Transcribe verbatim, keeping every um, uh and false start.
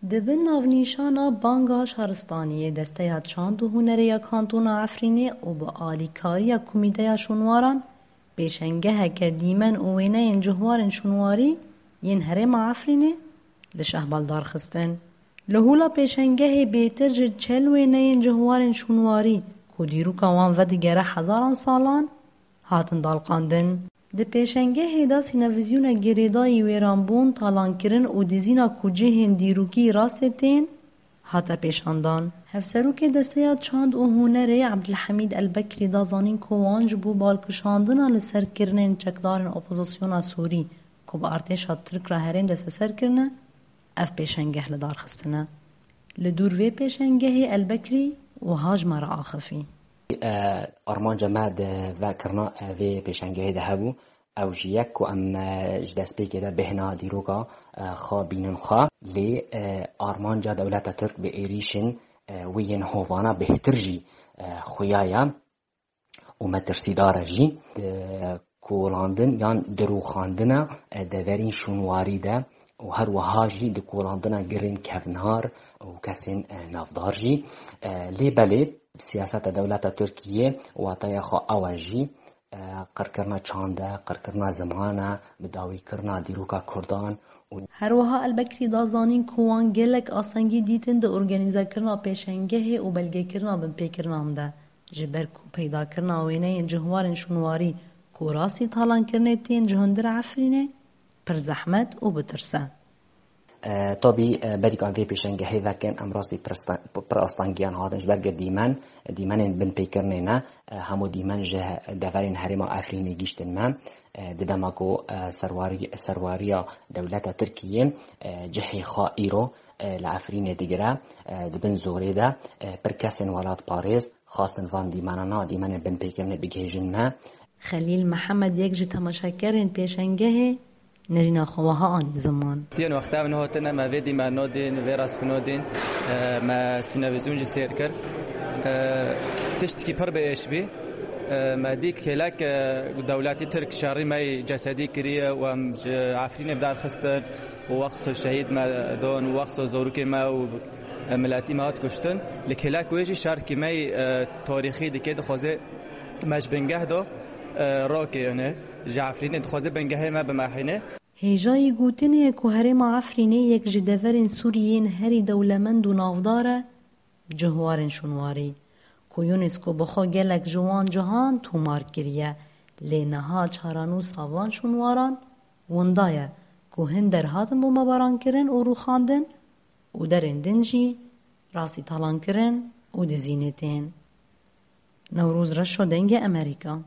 Di bin navnîşana Banga Şaristaniyê Desteya Çand û Hunerê ya Kantona Efrînê û bi alîkariya Komîteya Şûnwaran pêşengeheke dîmen û wêneyên cihwarên şûnwarî yên herêma Efrînê li Şehbal darxistin. Li hûla pêşengehê bêtir ji çel wêneyên cihwarên şûnwarî ku dîroka wan vedigere hezaran salan, hatin dalqandin. Di pêşengehê de sînevizyona girêdayî wêranbûn, talankirin û dizîna ku cihên dîrokî rastê tên, hate pêşandan. Hevserokê Desteya Çand û Hunerê Ebdilhemîd Elbekrî da zanîn ku wan ji bo balkişandina li ser kirinên çekdarên opozisyona Sûrî ku bi artêşa Tirk re herêm desteser kirine, ev pêşengeh li dar xistine. Li dûr vê pêşengehê Elbekrî wiha ji me re axifî. E, armanca me di vekirina, e, vê pêşengehê de hebû. Ew jî yek ku em, e, ji destpêkê de bêhna dîroka, e, xwe bînin xwe. Lê, e, armanca dewleta Tirk bi êrîşên, e, wê yên hovana bêhtir jî, e, xuya ye û metirsîdar e jî. Di kolandin yan di rûxandina, e, deverên şûnwarî de û her wiha jî di kolandina girên kevnar û kesên, e, navdar jî. E, lê belê siyaseta dewleta Tirkiyê wataya xwe ew e jî, e, qirkirina çand e, qirkirina ziman e, bi dawîkirina dîroka Kurdan û Her wiha Elbekrî da zanîn ku wan gelek astengî dîtin di organîzekirina pêşengehê û belgekirina binpêkirinan de, ji ber ku peydakirina wêneyên cihwarên şûnwarî ku rastî talankirinê tên ji hundir Efrînê, pir zehmet û bi tirs e. E, tabî, e, berî ku em vê pêşengehê vekin, em rastî pir sta-, pir astengiyan hatin ji ber ku dîmen, dîmenên binpêkirinê ne, e, hemû dîmen ji he-, deverên herêma Efrînê gihîştin me. E, di dema ku, e, serwarî-, serwariya dewleta Tirkiyê, e, cihê xwe îro, e, li Efrînê digire, e, di bin zorê de, e, pir kesên welatparêz xwestin van dîmenana, dîmenên binpêkirinê bigihêjin me. Xelîl Mihemed, yek ji temaşekerên pêşengehê, nerîna xwe wiha anî ziman. Yên wexta em nehotine, me vê dîmenodên, vê rastkinodên, e, me sînevizyon jî sêr kir. E, tiştekî pir bi êş bî. E, me dî kêlek, e, dewletî Tirk şerî me yî cesedî kiriye û em ji Efrînê bi dar xistin û wexso şehîd me don û wexso zorokê me û, e, miletî me hat kuştin. Li kêlek wê jî şerkî me yî, e, tarîxî dike, dixwaze me ji bingeh do, e, rokê, yani, ji Efrînê dixwaze bingehê me bimehîne. Hêjayî gotinê ye ku herêma Efrînê yek ji deverên Sûriyê yên herî dewlemend û navdar e, cihwarên şûnwarî, ku UNESCO bi xwe gelek ji wan cihan tomar kiriye, lê niha çarenûsa van şûnwaran winda ye, ku hin der hatin bombebarankirin û rûxandin û derên din jî rastî talankirin û dizînê tên. Newroz Reşo, Dengê Amerîka.